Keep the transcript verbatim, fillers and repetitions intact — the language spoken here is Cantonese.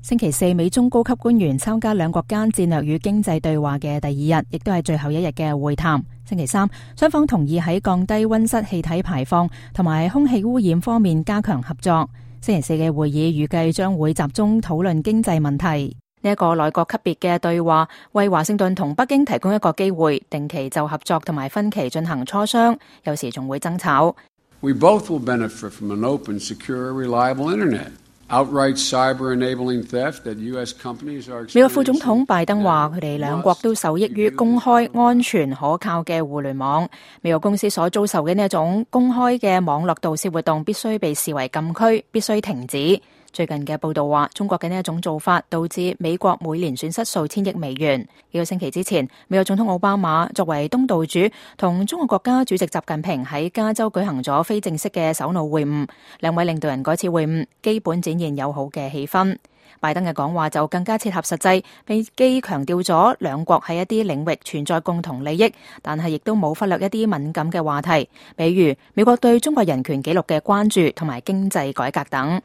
星期四，美中高級官員參加兩國間戰略與經濟對話嘅第二日，亦都係最後一日嘅會談。星期三，雙方同意喺降低溫室氣體排放同埋空氣污染方面加強合作。星期四嘅會議預計將會集中討論經濟問題。呢一個內閣級別嘅對話，為華盛頓同北京提供一個機會，定期就合作同埋分歧進行磋商，有時仲會爭吵。We both will benefit from an open, secure, reliable internet.Outright cyber enabling theft that U S companies are experiencing. 美國副總統拜登話，佢哋兩國都受益於公開、安全、可靠嘅互聯網。美國公司所遭受嘅呢一種公開嘅網絡盜竊活動，必須被視為禁區，必須停止。最近嘅報道話，中國嘅呢一種做法導致美國每年損失數千億美元。幾個星期之前，美國總統奧巴馬作為東道主，同中國國家主席習近平喺加州舉行咗非正式嘅首腦會晤。兩位領導人嗰次會晤基本展現友好嘅氣氛。拜登嘅講話就更加切合實際，並既強調咗兩國喺一啲領域存在共同利益，但係亦都冇忽略一啲敏感嘅話題，比如美國對中國人權紀錄嘅關注同埋經濟改革等。